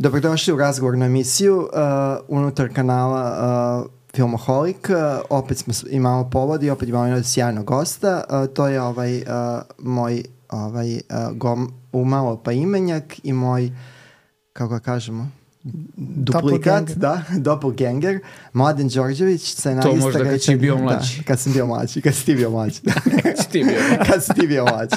Dobrodošli u razgovornu emisiju unutar kanala Filmoholik. Opet imamo povod i opet imamo jednog sjajnog gosta. To je moj umalo pa imenjak i moj, kako ga kažemo, duplikat, doppelganger, Mladen Đorđević, scenarista. To možda kad si bio mlađi. Da, kad sam bio mlađi, kad si ti bio mlađi. Kad si ti bio mlađi.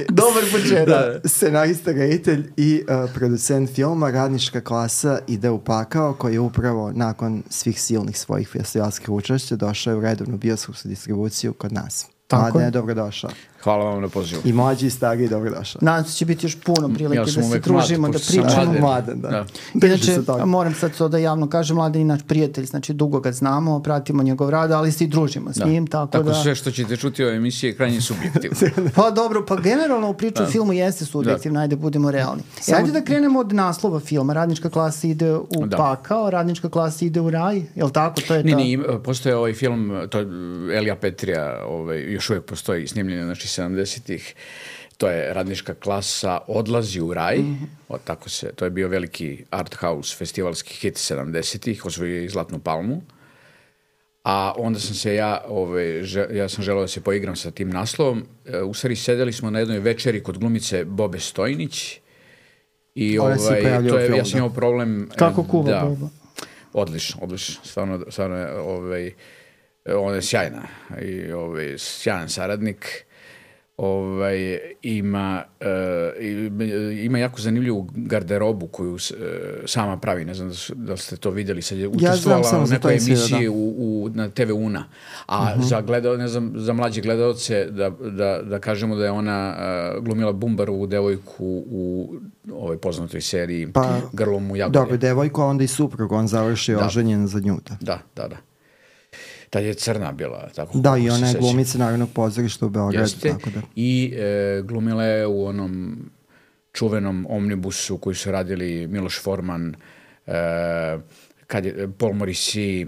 Dobar početak. Scenarista, reditelj i producent filma Radnička klasa ide u pakao, koji je upravo nakon svih silnih svojih festivalskih učešća došao u redovnu bioskopsku distribuciju kod nas. Mladen je dobrodošao. Hvala vam na pozivu. I mlađi i stariji dobrodošao. Nadam se će biti još puno prilike da se družimo, da pričamo. Mladen, da. Inače, moram sad to da javno kažem, Mladen je naš prijatelj, znači dugo ga znamo, pratimo njegov rad, ali se i družimo s njim. Tako sve što ćete čuti u emisiji je krajnje subjektivno. Pa dobro, pa generalno u priču o filmu jeste subjektivno, ajde budemo realni. Ajde da krenemo od naslova filma. Radnička klasa ide u pakao, Radnička klasa ide u raj, je li tako? To je postoje ovaj film, to je Elija Petrija, još uvijek postoji snimljenje, znači 70-ih, to je Radnička klasa odlazi u raj, to je bio veliki art house festivalski hit 70-ih, osvojio je i Zlatnu palmu, a onda sam se ja sam želeo da se poigram sa tim naslovom. U stvari sedeli smo na jednoj večeri kod glumice Bobe Stojnić i ja sam imao problem. Kako kuva Boba? Odlično, stvarno je ona je sjajna i sjajan saradnik. Ima jako zanimljivu garderobu koju sama pravi, ne znam da ste to vidjeli, sad je učestvovala u nekoj emisiji na TV Una, a za mlađe gledalce da kažemo da je ona glumila Bumbarovu devojku u ovoj poznatoj seriji Grlom u Jagodi. Dobro, devojku, a onda i suprug, on završi oženjen za nju. Da. Tad je crna bila. Tako, da, i ona je glumica Narodnog pozorišta u Beogradu. Tako da. I glumila je u onom čuvenom omnibusu koji su radili Miloš Forman, Paul Morrissey,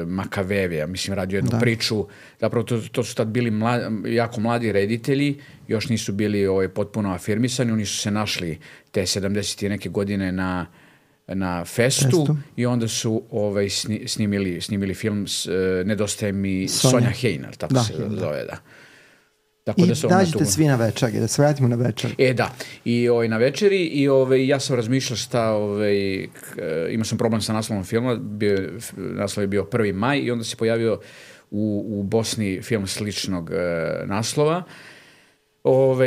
Makavevija, mislim, radio jednu priču. Zapravo to su tad bili jako mladi reditelji, još nisu bili potpuno afirmisani, oni su se našli te 70. neke godine na festu i onda su snimili film Nedostaje mi Sonja Hejner, tako se zove, da. I dađete svi na večeri, da se vratimo na večeri. Da, i na večeri i ja sam razmišljao imao sam problem sa naslovom filma, naslov je bio 1. maj i onda se pojavio u Bosni film sličnog naslova.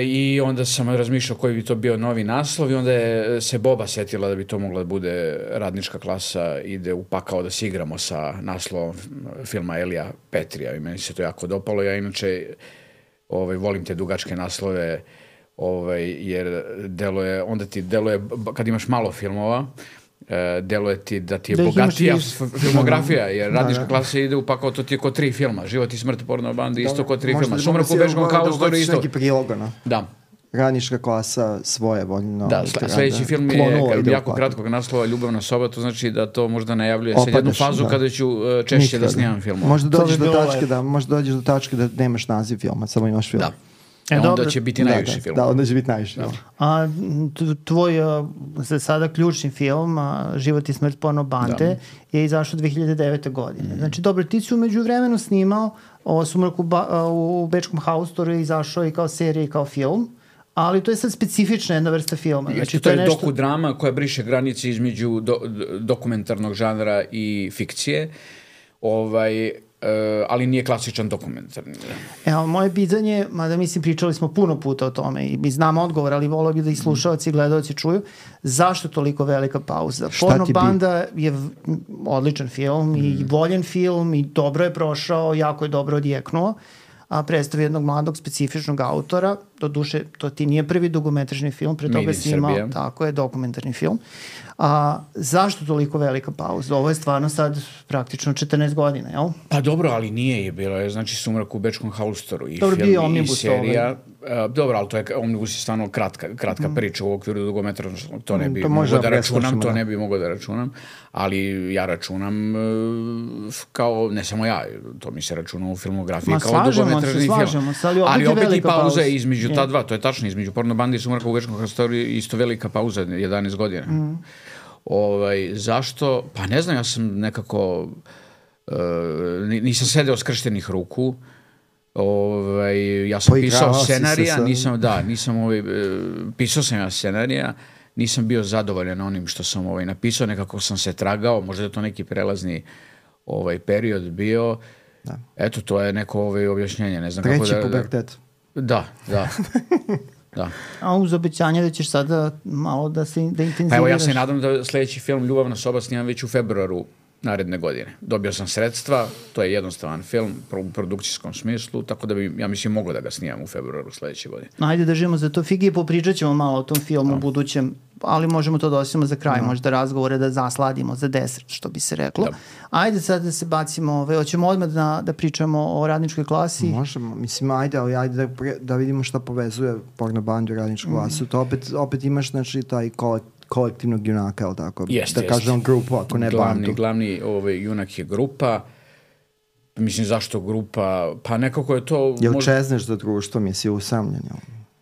I onda sam razmišljao koji bi to bio novi naslov i onda je se Boba setila da bi to mogla da bude Radnička klasa ide u pakao, da se igramo sa naslovom filma Elija Petrija i meni se to jako dopalo. Ja inače volim te dugačke naslove jer onda ti deluje, kad imaš malo filmova, deluje ti da ti je bogatija filmografija, jer Radnička klasa ide u pakao, to ti je ko 3 filma. Život i smrt porno bandi, isto ko 3 filma. Sumrak u Bečkom haustoru isto. Neki prilogano. Da. Radnička klasa svoje voljno. Da, sljedeći film je jako kratkog naslova Ljubavna soba, to znači da to možda najavljuje sad jednu fazu kada ću češće da snimam filmova. Možda dođeš do tačke da nemaš naziv filma, samo imaš film. Da. Onda će biti najviši film. Da, onda će biti najviši film. A tvoj za sada ključni film, Život i smrt porno bande, je izašao 2009. godine. Znači, dobro, ti si umeđu vremenu snimao Sumrak u Bečkom haustoru, je izašao i kao serija i kao film, ali to je sad specifična jedna vrsta filma. Znači, to je dokudrama koja briše granice između dokumentarnog žanra i fikcije. Ali nije klasičan dokumentarni. Evo, moje pitanje, mada mislim pričali smo puno puta o tome i mi znamo odgovor, ali volio bi da i slušalci i gledalci čuju, zašto toliko velika pauza? Porno banda je odličan film i voljen film i dobro je prošao, jako je dobro odjeknuo, a predstavi jednog mladog specifičnog autora, do duše to ti nije prvi dugometražni film, pre toga si imao, tako je, dokumentarni film. A zašto toliko velika pauza? Ovo je stvarno sad praktično 14 godina, jel? Pa dobro, ali nije je bilo. Znači, Sumrak u Bečkom haustoru i dobro, film i serija. Dobro, ali to je Omnibus je stvarno kratka priča u okviru dugometražnog. To ne bi mogao da računam, to ne bi mogao da računam. Ali ja računam kao, ne samo ja, to mi se računa u filmografiji kao dugometražni film. Ali opet i pauza je između ta dva, to je tačno, između Porno bande i Sumraka u Bečkom haustoru isto velika pauza, 11 godina. Zašto? Pa ne znam, ja sam nekako nisam sedeo skrštenih ruku. Ja sam pisao scenarija, pisao sam ja scenarija, nisam bio zadovoljan onim što sam napisao, nekako sam se tragao, možda je to neki prelazni period bio. Da. Eto, to je neko objašnjenje, ne znam kako da... Treći pubertet. Da. Da. A uz obećanje da ćeš sada malo da intenziviraš? Pa evo, ja se nadam da sljedeći film Ljubavna soba snimam već u februaru naredne godine. Dobio sam sredstva, to je jednostavan film u produkcijskom smislu, tako da bi, ja mislim, moglo da ga snimam u februaru sljedeće godine. Ajde, držimo za to figi i popričat ćemo malo o tom filmu u budućem, ali možemo to da ostavimo za kraj, možda razgovore da zasladimo za desert, što bi se reklo. Da. Ajde sad da se bacimo, hoćemo odmah da pričamo o Radničkoj klasi. Možemo, mislim, ajde da vidimo šta povezuje Porno bandu i Radničku klasu. To opet imaš, znači, taj kolektivnog junaka, ali tako? Kažem grupu, ako ne bandu. Glavni junak je grupa. Mislim, zašto grupa? Pa nekako je to... Jel čezneš za društvo, misli usamljen?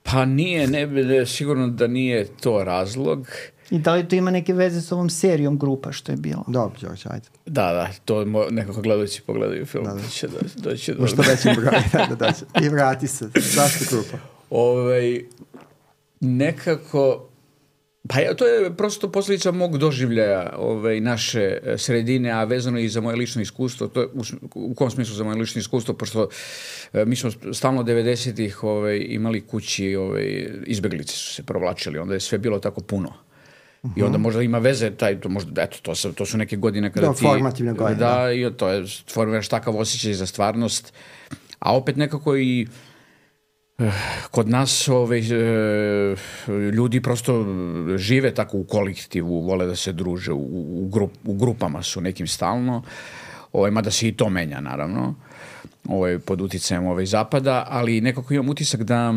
Pa nije, sigurno da nije to razlog. I da li to ima neke veze s ovom serijom grupa što je bilo? Dobro, Đorđe, ajde. Da, to nekako gledajući pogledaju film. Doći do... Što većim broj, I vrati se. Zašto grupa? Nekako... Pa to je prosto posljedica mog doživljaja naše sredine, a vezano i za moje lično iskustvo. To je, u kom smislu za moje lično iskustvo? Pošto mi smo stalno 90-ih imali kući, izbeglice su se provlačili, onda je sve bilo tako puno. I onda možda ima veze, to su neke godine kada ti... formativne godine. Da, i to je, formiraš takav osjećaj za stvarnost. A opet nekako i... Kod nas ljudi prosto žive tako u kolektivu, vole da se druže, u grupama su nekim stalno, mada se i to menja naravno, pod uticajem zapada, ali nekako imam utisak da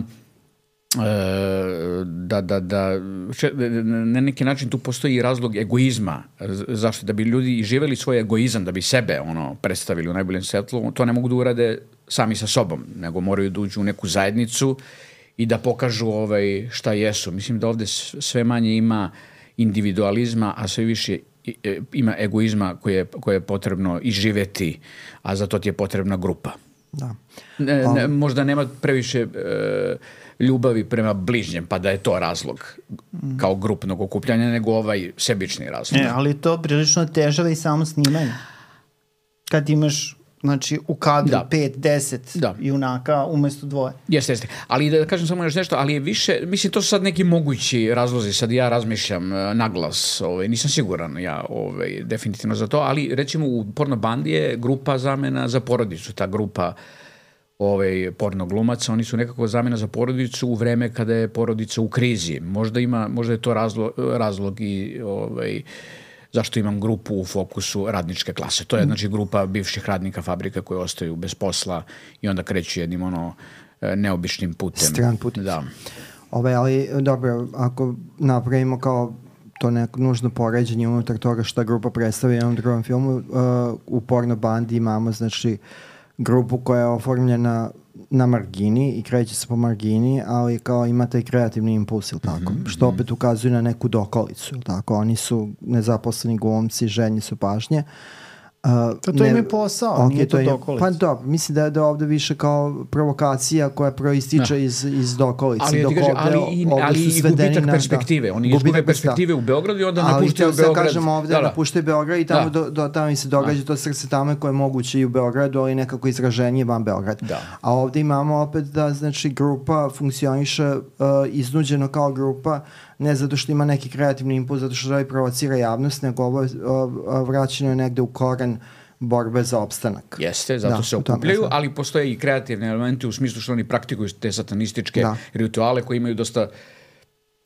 na neki način tu postoji razlog egoizma. Zašto? Da bi ljudi živeli svoj egoizam, da bi sebe predstavili u najboljem svetlu, to ne mogu da urade sami sa sobom, nego moraju da uđu u neku zajednicu i da pokažu šta jesu. Mislim da ovde sve manje ima individualizma, a sve više ima egoizma koje je potrebno izživeti, a za to ti je potrebna grupa. Da. Možda nema previše ljubavi prema bližnjem, pa da je to razlog kao grupnog okupljanja, nego sebični razlog. Ali to prilično težava i samo snimanje. Kad imaš, znači, u kadru 5-10 junaka umesto 2. Jeste. Ali da kažem samo još nešto, ali je više, mislim, to su sad neki mogući razlozi, sad ja razmišljam naglas, nisam siguran ja definitivno za to, ali recimo u Porno bandi je grupa zamena za porodicu, ta grupa porno glumaca, oni su nekako zamena za porodicu u vreme kada je porodica u krizi. Možda je to razlog i zašto imam grupu u fokusu Radničke klase. To je znači grupa bivših radnika fabrika koji ostaju bez posla i onda kreću jednim neobičnim putem. Stran putem. Da. Ali dobro, ako napravimo kao to neko nužno poređenje unutar toga šta grupa predstavlja u jednom drugom filmu, u Porno bandi imamo znači grupu koja je oformljena na margini i kreće se po margini, ali kao ima taj kreativni impuls, ili tako? Što opet ukazuje na neku dokolicu, ili tako? Oni su nezaposleni glumci, željni su pažnje. To im je posao, nije to dokolica. Pa dobro, mislim da je ovdje više kao provokacija koja proističe iz dokolice. Ali i gubitak perspektive. Oni izgube perspektive u Beogradu i onda napuštaju Beograd. Ali kažemo ovdje napuštaju Beograd i tamo im se događa to srce tamo koje je moguće i u Beogradu, ali nekako izraženije van Beograda. A ovdje imamo opet da znači grupa funkcioniše iznuđeno kao grupa, ne zato što ima neki kreativni impuls, zato što želi provocira javnost, nego ovo vraćeno je negde u koren borbe za opstanak. Jeste, zato se okupljaju, ali postoje i kreativni elementi u smislu što oni praktikuju te satanističke rituale koji imaju dosta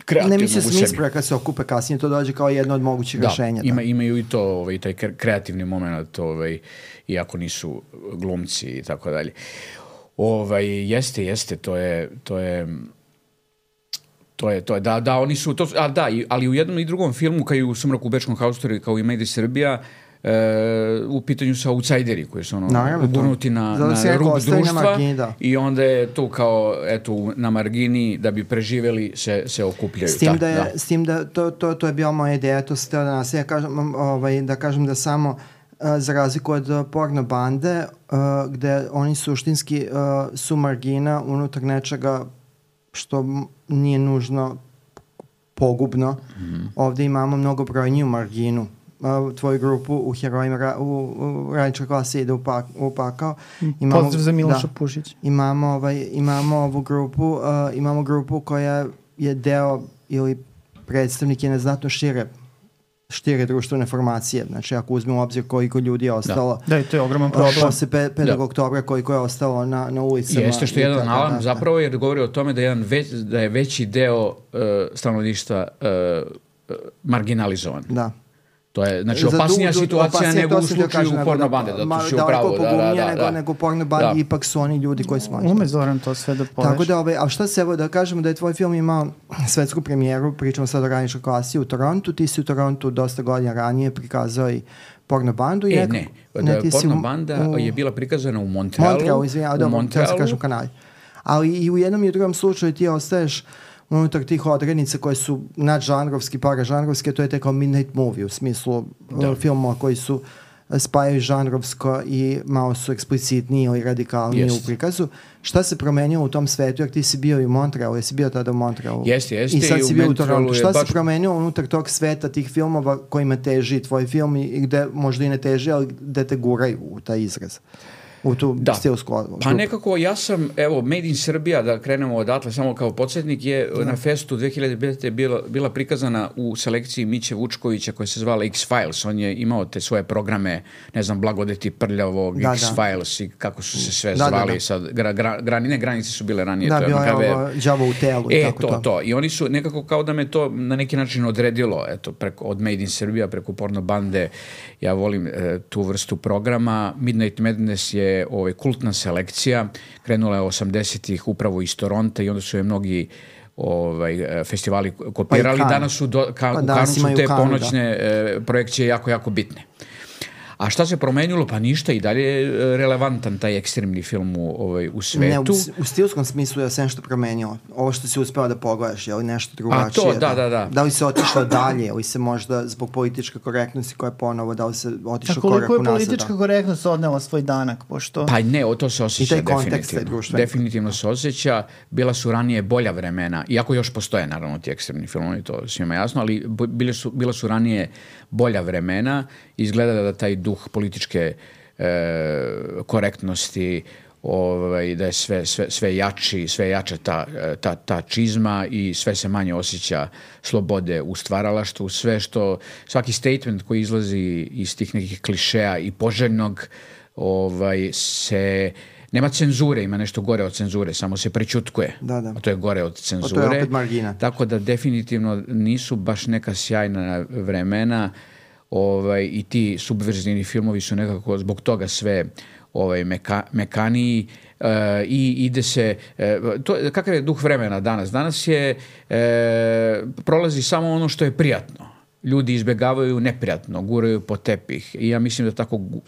kreativnog ne u sebi. mislim smisla kad se okupe kasnije, to dođe kao jedno od mogućih rešenja. Imaju i to, taj kreativni moment, iako nisu glumci i tako dalje. Jeste, to je da, oni su, ali u jednom i drugom filmu, kao i u Sumraku u Bečkom haustori, kao i Made in Srbija, u pitanju su outsideri koji su ugurnuti na rub društva i onda je to kao na margini da bi preživeli se okupljaju. S tim da to je bila moja ideja, to se teo da nas da kažem da samo za razliku od porno bande gde oni suštinski su margina unutar nečega što nije nužno pogubno. Ovde imamo mnogo brojniju marginu. Tvoju grupu u herojima u radničkoj klasi ide u pakao. Pozdrav za Miloša Pušić. Imamo ovu grupu, imamo grupu koja je deo ili predstavnik jedne znatno šire društvene formacije. Znači, ako uzmemo u obzir koliko ljudi je ostalo. Da, to je ogroman problem. Posle 5. oktobra koliko je ostalo na ulicama. Jeste što je jedan alarm zapravo, jer govori o tome da je veći deo stanovništva marginalizovan. Da. To je, znači, opasnija situacija nego u slučaju porno bande, da to si upravo. Nego porno bandi, ipak su oni ljudi koji smo. Ume Zoran to sve da poveš. Tako da, a šta se, evo da kažemo da je tvoj film imao svetsku premijeru, pričamo sad o radničkoj klasi u Torontu, ti si u Torontu dosta godina ranije prikazao i porno bandu. Porno banda je bila prikazana u Montrealu. Montrealu, kažem kanali. Ali i u jednom i u drugom slučaju ti ostaješ unutar tih odrednica koje su nadžanrovski, paražanrovski, to je kao midnight movie u smislu filmova koji su spajaju žanrovsko i malo su eksplicitniji ili radikalniji u prikazu. Šta se promenilo u tom svetu, jer ti si bio i u Montrealu, jesi bio tada u Montrealu? Jeste. I sad si bio u Torontu. Šta se promenilo unutar tog sveta, tih filmova kojima teži tvoj film i gde možda i ne teži, ali gde te guraju u taj izraz? U tu stilsku odlogu. Pa nekako ja sam, Made in Srbija, da krenemo odatle, samo kao podsjetnik, je na festu 2005. bila prikazana u selekciji Miće Vučkovića koja se zvala X-Files. On je imao te svoje programe, ne znam, Blagodeti prljavog, X-Files i kako su se sve zvali. Sad, granice su bile ranije. Da, bilo je ovo đavo u telu i tako to. I oni su nekako kao da me to na neki način odredilo, od Made in Srbija preko porno bande. Ja volim tu vrstu programa. Midnight Madness je kultna selekcija, krenula je 80-ih upravo iz Toronta i onda su je mnogi festivali kopirali. Danas su u Kanu su te ponoćne projekcije jako, jako bitne. A šta se promenilo? Pa ništa, i dalje je relevantan taj ekstremni film u svetu. Ne, u stilskom smislu je sve nešto promenilo. Ovo što si uspeo da pogledaš, je li nešto drugačije? A to, da. Da li se otišlo dalje, ili se možda zbog političke korektnosti koja je ponovo, da li se otišlo korak unazad? Koliko je politička korektnost odnela svoj danak? Pošto... Pa ne, to se osjeća definitivno. Definitivno se osjeća. Bila su ranije bolja vremena, iako još postoje naravno ti ekstremni filmovi, to svima jasno, ali bila su ranije bolja vremena. Izgleda da taj duh političke korektnosti, da je sve jači, sve jača ta čizma i sve se manje osjeća slobode u stvaralaštvu. Svaki statement koji izlazi iz tih nekih klišeja i poželjnog nema cenzure, ima nešto gore od cenzure, samo se prećutkuje. Da. A to je gore od cenzure. To je opet margina. Tako da definitivno nisu baš neka sjajna vremena. I ti subverzivni filmovi su nekako zbog toga sve mekaniji i ide se... Kakav je duh vremena danas? Danas prolazi samo ono što je prijatno. Ljudi izbjegavaju neprijatno, guraju po tepih i ja mislim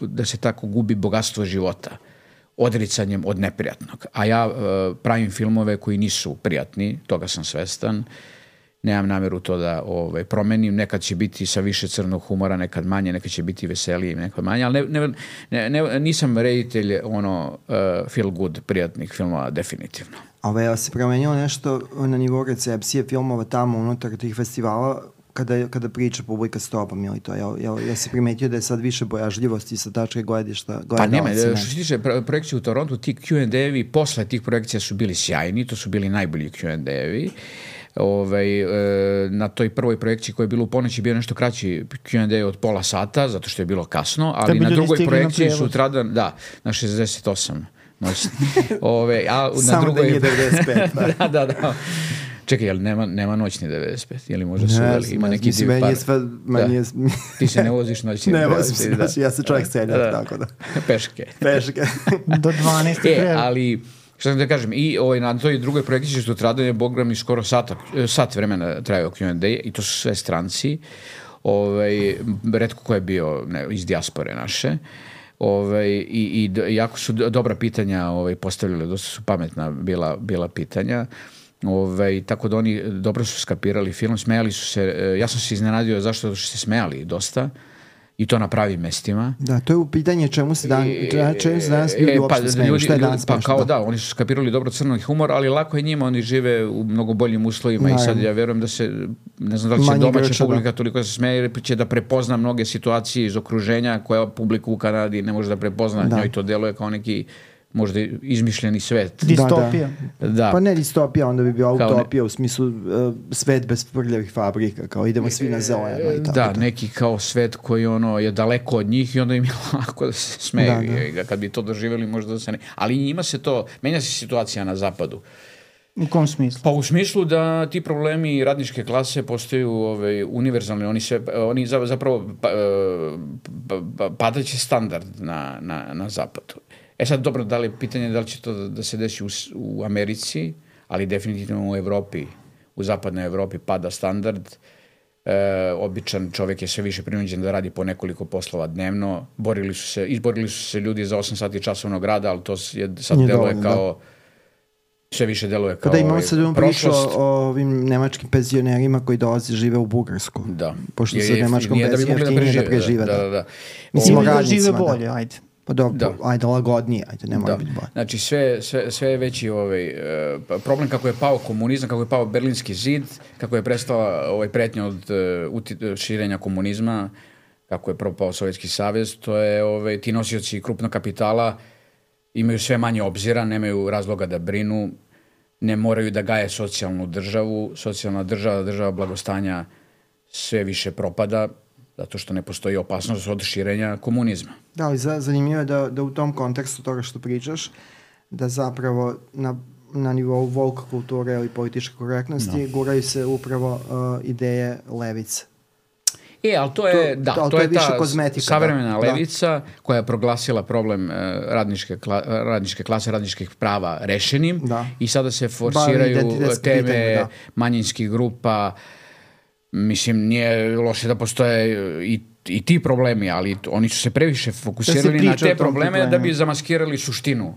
da se tako gubi bogatstvo života odricanjem od neprijatnog. A ja pravim filmove koji nisu prijatni, toga sam svestan. Nemam namjeru to da promenim, nekad će biti sa više crnog humora, nekad manje, nekad će biti veselije, nekad manje, ali nisam reditelj feel good, prijatnih filmova, definitivno. A se promenilo nešto na nivou recepcije filmova tamo unutar tih festivala, kada priča publika s tobom, ili to? Ja si primetio da je sad više bojažljivosti sa tačke gledišta? Pa nema, što se tiče projekcije u Torontu, ti Q&A-evi posle tih projekcija su bili sjajni, to su bili najbolji Q&A-evi. Na toj prvoj projekciji koja je bila u ponoći bio nešto kraći Q&A od pola sata, zato što je bilo kasno, ali na drugoj projekciji sutradan, na 68 noći. Samo da nije 95. Da. Čekaj, jel nema noćni 95? Jel možda su uveli? Ima neki div par? Ti se ne voziš noćni 95? Ne vozim se noćni, ja se čovjek seljak, tako da. Peške. Do 12. Ali, što sam da kažem, i na toj drugoj projekciji što trajanje Bogram i skoro sat vremena trajao Q&A i to su sve stranci. Retko ko je bio iz dijaspore naše. I jako su dobra pitanja postavljali, dosta su pametna bila pitanja. Tako da oni dobro su skapirali film, smejali su se, ja sam se iznenadio zašto su se smejali dosta i to na pravim mestima. Da, to je u pitanje čemu se danas ljudi uopšte smeju, što je danas pa kao da, oni su skapirali dobro crni humor, ali lako je njima, oni žive u mnogo boljim uslovima i sad ja vjerujem da se, ne znam da li će domaća publika toliko se smeje, jer će da prepozna mnoge situacije iz okruženja koja publika u Kanadi ne može da prepozna, njoj to deluje kao neki možda izmišljeni svet. Distopija. Da. Pa ne distopija, onda bi bio utopija u smislu svet bez prljavih fabrika, kao idemo svi na zeleno i tako. Da, neki kao svet koji je daleko od njih i onda im je lako da se smeju. Kad bi to doživjeli možda da se ne... Ali njima se to, menja se situacija na zapadu. U kom smislu? Pa u smislu da ti problemi radničke klase postaju univerzalni, oni zapravo padaće standard na zapadu. Sad dobro, da li je pitanje da li će to da se desi u Americi, ali definitivno u Evropi, u zapadnoj Evropi pada standard. Običan čovjek je sve više prinuđen da radi po nekoliko poslova dnevno. Izborili su se ljudi za 8 sati časovnog rada, ali to sad deluje kao... Sve više deluje kao da imamo sad priču o ovim nemačkim penzionerima koji dolaze žive u Bugarsku. Da. Pošto se nemačkom penzionerima da prežive. Da. Mislim, da žive bolje, ajde. Pa dobro, ajde lagodnije, ajde, ne mora biti bolje. Znači sve je veći problem kako je pao komunizam, kako je pao Berlinski zid, kako je prestala pretnja od širenja komunizma, kako je propao Sovjetski savez, to je ti nosioci krupnog kapitala imaju sve manje obzira, nemaju razloga da brinu, ne moraju da gaje socijalnu državu, socijalna država blagostanja sve više propada, zato što ne postoji opasnost od širenja komunizma. Da, ali zanimljivo je da u tom kontekstu toga što pričaš, da zapravo na nivou woke kulture ili političke korektnosti guraju se upravo ideje levice. Ali to je ta savremena levica koja je proglasila problem radničke klase, radničkih prava rešenim i sada se forsiraju teme manjinskih grupa. Mislim, nije loše da postoje i ti problemi, ali oni su se previše fokusirali na te probleme da bi zamaskirali suštinu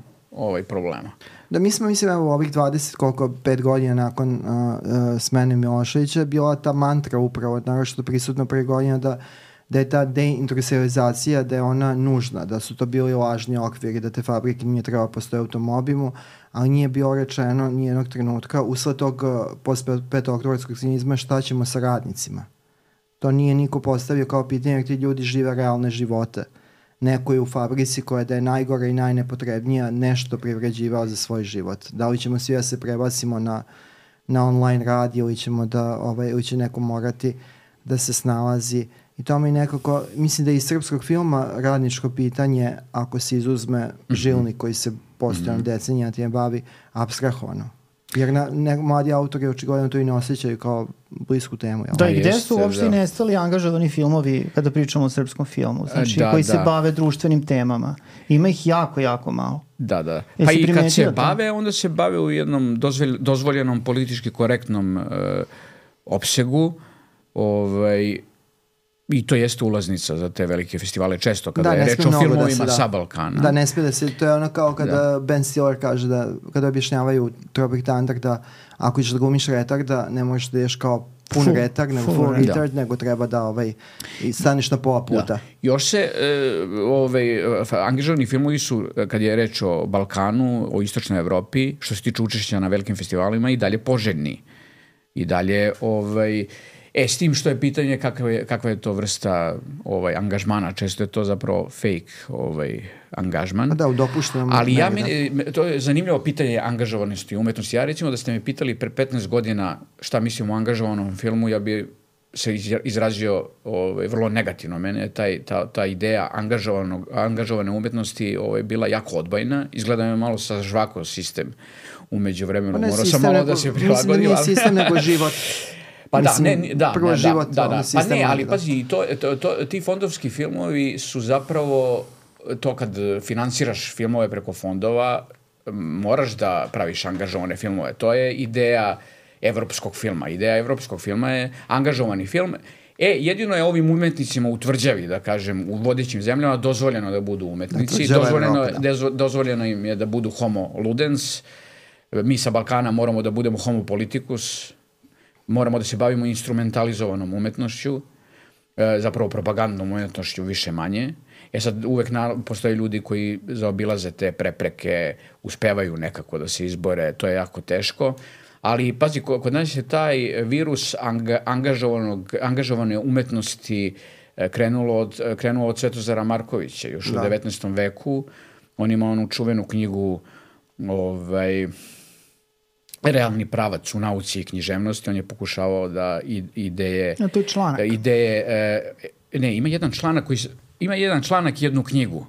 problema. Da, mi smo, mislim, u ovih 5 godina nakon smene Miloševića bila ta mantra upravo, naravno prisutno pre godina da je ta deindustrializacija, da je ona nužna, da su to bili lažni okviri, da te fabrike nije trebalo postoje automobilu, ali nije bilo rečeno nijednog trenutka usled tog postpetooktobarskog cinizma šta ćemo sa radnicima. To nije niko postavio kao pitanje jer ti ljudi žive realne živote. Neko je u fabrici koja da je najgora i najnepotrebnija nešto privređivao za svoj život. Da li ćemo svi da se prebacimo na online rad ili ili će neko morati da se snalazi. I to mi nekako, mislim da iz srpskog filma radničko pitanje, ako se izuzme Žilnik koji se postojano decenija time bavi, apstrahovano. Jer mladi autori očigledno to i ne osjećaju kao blisku temu. Da, i gde su uopšte nestali angažovani filmovi kada pričamo o srpskom filmu, znači koji se bave društvenim temama. Ima ih jako, jako malo. Da. Pa i kad se bave, onda se bave u jednom dozvoljenom politički korektnom opsegu, i to jeste ulaznica za te velike festivale često kada je reč o filmovima sa Balkana. Da, ne smije da se, to je ono kao kada Ben Stiller kaže da kada objašnjavaju Tropic Thunder da ako ćeš da glumiš retarda, ne možeš da ješ kao pun retard, nego full retard, nego treba da i staniš na pola puta. Da. Još se angažovani filmovi su, kad je reč o Balkanu, o istočnoj Evropi, što se tiče učešća na velikim festivalima, i dalje poželjni. I dalje s tim što je pitanje kakva je to vrsta angažmana, često je to zapravo fake angažman. Da, u dopuštenom. Ali to je zanimljivo pitanje angažovanosti umetnosti. Ja recimo da ste me pitali pre 15 godina šta mislim o angažovanom filmu, ja bi se izrazio vrlo negativno. Mene je ta ideja angažovane umetnosti bila jako odbojna. Izgleda me malo sa žvako sistem umeđu vremenu. Morao sam malo da se prilagodim. Mislim da nije sistem nego život. Pa prvo život. Pa ne, ali pazi, ti fondovski filmovi su zapravo, to kad finansiraš filmove preko fondova, moraš da praviš angažovane filmove. To je ideja evropskog filma. Ideja evropskog filma je angažovani film. Jedino je ovim umetnicima u tvrđavi, da kažem, u vodećim zemljama dozvoljeno da budu umetnici. Dozvoljeno im je da budu homo ludens. Mi sa Balkana moramo da budemo homo politicus. Moramo da se bavimo instrumentalizovanom umetnošću, zapravo propagandnom umetnošću više manje. Sad uvek postoje ljudi koji zaobilaze te prepreke, uspevaju nekako da se izbore, to je jako teško. Ali pazi, kod nas je taj virus angažovane umetnosti krenuo od Svetozara Markovića, još u 19. veku. On ima onu čuvenu knjigu Realni pravac u nauci i književnosti. On je pokušavao da ideje... To je članak. Ima jedan članak i jednu knjigu.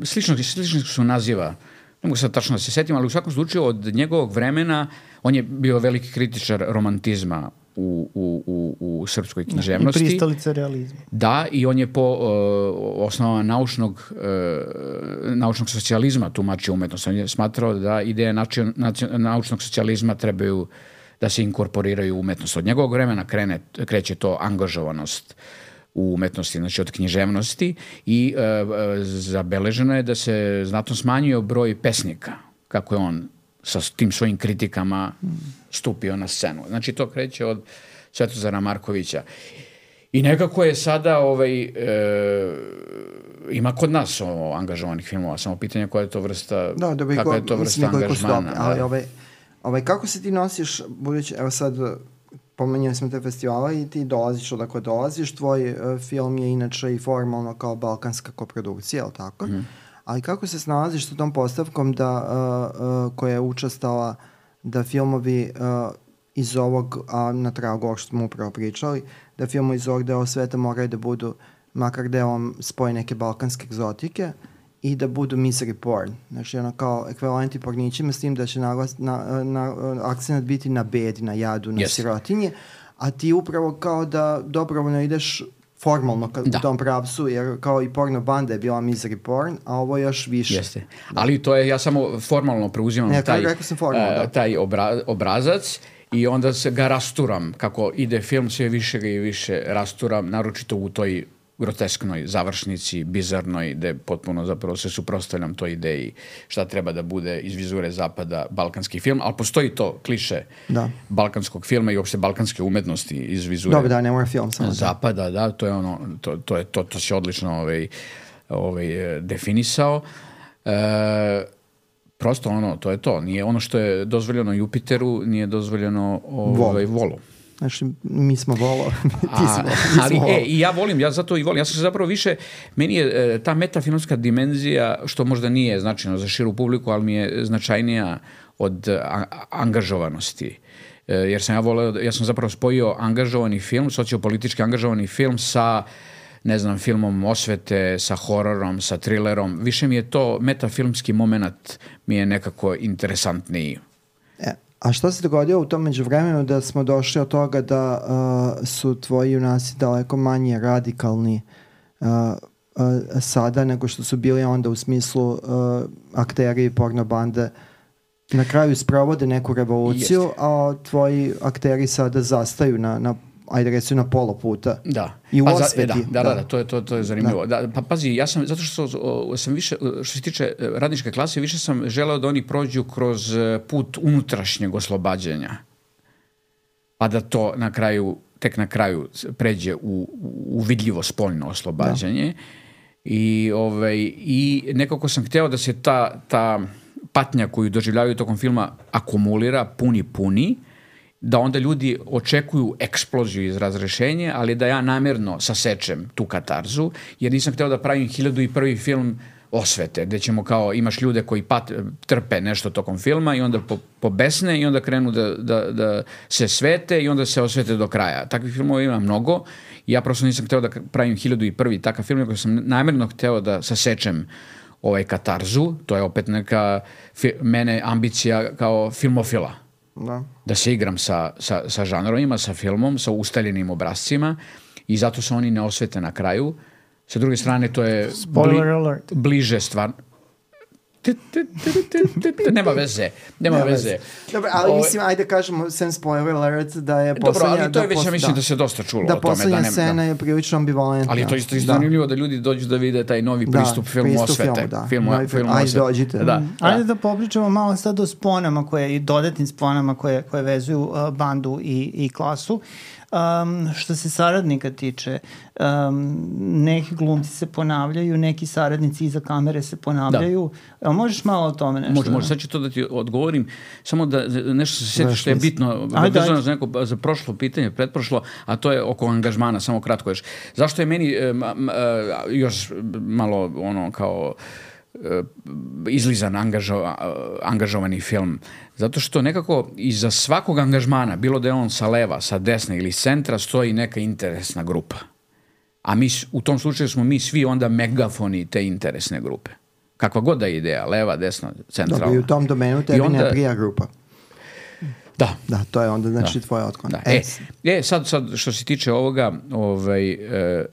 Slično se naziva. Ne mogu sad tačno da se setim, ali u svakom slučaju od njegovog vremena on je bio veliki kritičar romantizma u srpskoj književnosti. I pristalica realizma. Da, i on je po osnovama naučnog socijalizma tumačio umetnost. On je smatrao da ideje naučnog socijalizma trebaju da se inkorporiraju u umetnost. Od njegovog vremena kreće to angažovanost u umetnosti, znači od književnosti, i zabeleženo je da se znatno smanjio broj pesnika, kako je on sa tim svojim kritikama stupio na scenu. Znači to kreće od Svetozara Markovića. I nekako je sada ima kod nas angažovanih filmova, samo pitanje koja je to vrsta, kakva je to vrsta angažmana. Ali kako se ti nosiš, budući, evo sad pomenjali smo te festivala i ti dolaziš odakle dolaziš, tvoj film je inače i formalno kao balkanska koprodukcija, je li tako? Ali kako se snalaziš sa tom postavkom koja je učestala da filmovi iz ovog, a na tragu ovog što smo upravo pričali, da filmovi iz ovog dela sveta moraju da budu makar delom spoje neke balkanske egzotike i da budu misery porn. Znači kao ekvivalenti pornićima, s tim da će akcent biti na bedi, na jadu, na sirotinji, a ti upravo kao da dobrovoljno ideš formalno u tom pravcu, jer kao i porno banda je bila misery porn, a ovo još više. Jeste. Ali to je, ja samo formalno preuzimam taj obrazac i onda ga rasturam. Kako ide film, sve više ga i više rasturam, naročito u toj grotesknoj završnici, bizarnoj, gde potpuno zapravo se suprotstavljam toj ideji šta treba da bude iz vizure zapada balkanski film, ali postoji to kliše balkanskog filma i uopšte balkanske umetnosti iz vizure ne mora film samo zapada, da, to je ono, to se odlično definisao. Prosto to je to. Nije ono što je dozvoljeno Jupiteru, nije dozvoljeno Volu. Znači, mi smo volo. I ja volim, ja zato i volim. Ja sam se zapravo više, meni je ta metafilmska dimenzija, što možda nije značajno za širu publiku, ali mi je značajnija od angažovanosti. Jer ja sam zapravo spojio angažovani film, sociopolitički angažovani film sa, ne znam, filmom osvete, sa hororom, sa trilerom. Više mi je to metafilmski moment mi je nekako interesantniji. A što se dogodilo u tom međuvremenu da smo došli od toga da su tvoji junaci daleko manje radikalni sada nego što su bili onda u smislu akteri porno bande na kraju sprovode neku revoluciju, a tvoji akteri sada zastaju ajde recimo na pola puta. Da. I u osveti. Da, to je zanimljivo. Da, pa pazi, ja sam, zato što sam više, što se tiče radničke klase, više sam želeo da oni prođu kroz put unutrašnjeg oslobađanja. Pa da to tek na kraju pređe u vidljivo spoljno oslobađanje. I nekako sam hteo da se ta patnja koju doživljavaju tokom filma akumulira, puni, da onda ljudi očekuju eksploziju iz razrešenja, ali da ja namjerno sasečem tu katarzu, jer nisam hteo da pravim 1001. film osvete, gde ćemo kao, imaš ljude koji trpe nešto tokom filma i onda pobesne i onda krenu da se svete i onda se osvete do kraja. Takvih filmova ima mnogo i ja prosto nisam hteo da pravim 1001. takav film, nego sam namjerno hteo da sasečem katarzu, to je opet neka mene ambicija kao filmofila. Da se igram sa žanrovima, sa filmom, sa ustaljenim obrazcima i zato se oni ne osvete na kraju. Sa druge strane, to je bliže stvar. Nema veze. Dobro, ali mislim, ajde kažemo, sem spoiler alert, da je poslednja... Dobro, ali to je već, ja mislim da se dosta čulo o tome. Da poslednja scena je prilično ambivalentna. Ali to je isto zanimljivo da ljudi dođu da vide taj novi pristup filmu osvete. Ajde, dođite. Ajde da popričamo malo sad o sponama i dodatnim sponama koje vezuju bandu i klasu. Što se saradnika tiče, neki glumci se ponavljaju, neki saradnici iza kamere se ponavljaju. Možeš malo o tome nešto? Može, sad ću to da ti odgovorim, samo da nešto se sjeti što je bitno za prošlo pitanje, pretprošlo, a to je oko angažmana, samo kratko još. Zašto je meni još malo kao izlizan angažovani film? Zato što nekako iza svakog angažmana, bilo da je on sa leva, sa desne ili s centra, stoji neka interesna grupa. A mi, u tom slučaju smo mi svi onda megafoni te interesne grupe. Kakva god da je ideja, leva, desna, centralna. Dobro, i u tom domenu tebi ne prija grupa. Da. Da, to je onda znači tvoja otklon. Sad što se tiče ovoga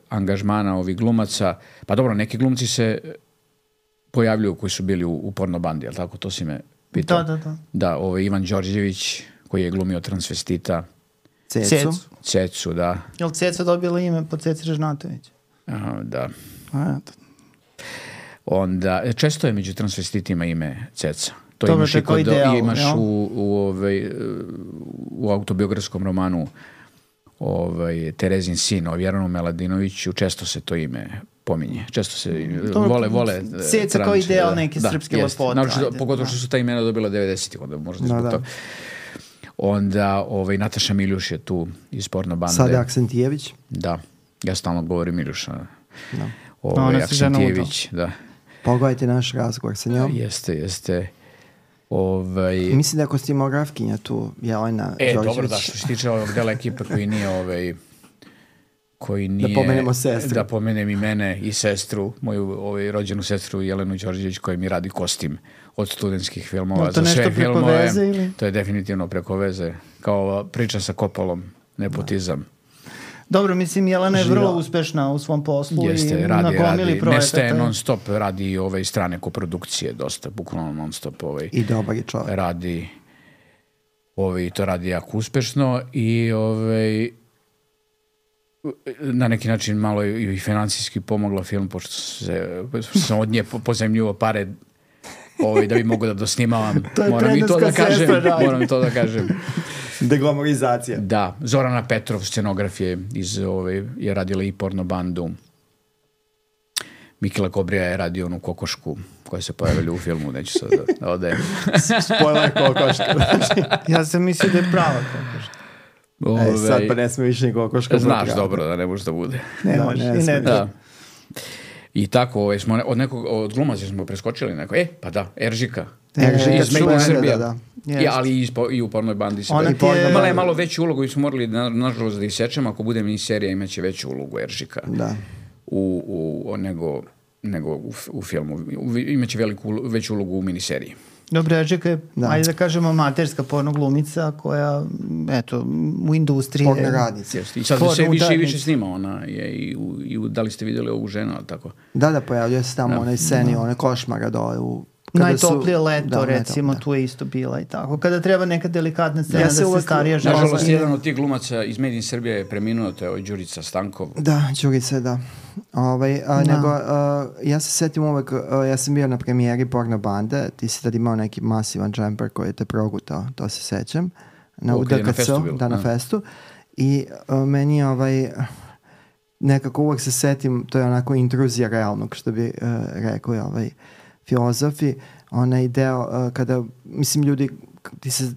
angažmana ovih glumaca, pa dobro, neki glumci se pojavljuju koji su bili u porno bandi, jel tako? To si me pitao. Da, Ivan Đorđević, koji je glumio transvestita. Cecu, da. Je li Ceca dobila ime po Ceci Režnatović? Da. Onda, često je među transvestitima ime Ceca. To imaš u autobiografskom romanu Terezin sin o Vjeranu Meladinoviću, često se to ime pominje. Često se vole Ceca kao ideal neke srpske lepote. Pogotovo što su ta imena dobila 90-ih, onda možda zbog toga. Onda Nataša Miljuš je tu iz porno bande. Sada Aksentijević. Da, ja stalno govorim Miljuša. Aksentijević, da. Pogledajte naš razgovor sa njom. Jeste. Mislim da je kostimografkinja tu, Jelena Đorđević. Dobro, da, što se tiče ovog dela ekipa koji nije... Da pomenemo sestru. Da pomenem i mene i sestru, moju rođenu sestru Jelenu Đorđević, koja mi radi kostim od studentskih filmova za sve filmove. To je definitivno preko veze. Kao priča sa Kopolom, nepotizam. Dobro, mislim, Jelena je vrlo uspešna u svom poslu. Jeste, radi, nestaje non stop, radi strane koprodukcije dosta, bukvalno non stop. I dobar je čovjek. Radi, to radi jako uspešno i na neki način malo i financijski pomogla film, pošto sam od nje pozajmljivo pare da bi mogu da dosnimavam. Moram i to da kažem. Deglamorizacija. Da, Zorana Petrov, scenograf je radila i porno bandu. Mikela Kobrija je radio onu kokošku koja se pojavila u filmu, neću sad da odajem. Spoiler kokoška. Ja sam mislio da je prava kokoška. Sad pa ne sme više ni kokoška. Znaš dobro da ne može da bude. Ne može, i ne da. I tako, od glumaca smo preskočili neko. Pa da, Eržika. Iz Made in Srbija. Ali i u pornoj bandi se imala je malo veću ulogu i smo morali nažalost da isečemo, ako bude miniserija imaće veću ulogu Eržika nego u filmu. Imaće veću ulogu u miniseriji. Dobro, Eržika je, ajde da kažemo, amaterska porno glumica koja, eto, u industriji... Porno radnica. I sad se više i više snima, ona je da li ste vidjeli ovu ženu, ali tako? Da, pojavljuje se tamo onaj sceni, one košmara dole u... Najtoplije leto, recimo, tu je isto bila i tako. Kada treba neka delikatna scena da se starija žena... Nažalost, jedan od tih glumaca iz Made in Srbije je preminuo, to je Đurica Stankov. Da, Đurica, da. Ja se setim uvek, ja sam bio na premijeri porno bande, ti si tad imao neki masivan džemper koji je te progutao, to se sećam. U DKC-u, na festu. I meni nekako uvek se setim, to je onako intruzija realnog, što bi rekli filozofi, onaj deo kada, mislim, ljudi,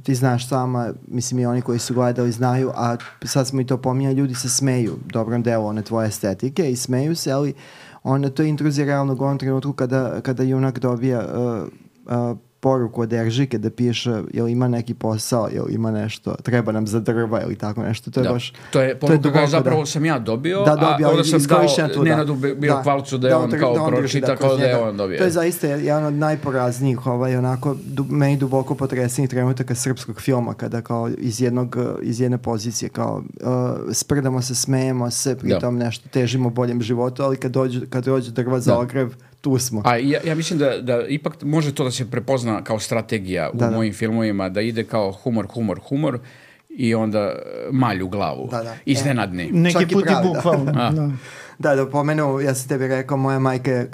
ti znaš sama, mislim i oni koji su gledali znaju, a sad smo i to pominjali, ljudi se smeju dobrom delu one tvoje estetike i smeju se, ali onda to je intruzija realnog u ovom trenutku kada junak dobija poruku od Eržike da piše jel ima neki posao, jel ima nešto, treba nam za drva ili tako nešto. To je baš... To je poruka koja zapravo sam ja dobio, a onda sam dao Nenadu Birokvalcu da je on kao pročita, kao da je on dobio. To je zaista jedan od najporaznijih, onako, meni duboko potresnih trenutaka srpskog filma, kada kao iz jedne pozicije, kao sprdamo se, smejemo se, pritom nešto težimo boljem životu, ali kad dođe drva za ogrev, tu smo. A ja mislim da ipak može to da se prepozna kao strategija u mojim filmovima, da ide kao humor i onda malj u glavu. Iznenadni. Neki put i bukvalno. Da pomenu, ja sam tebi rekao, moja majka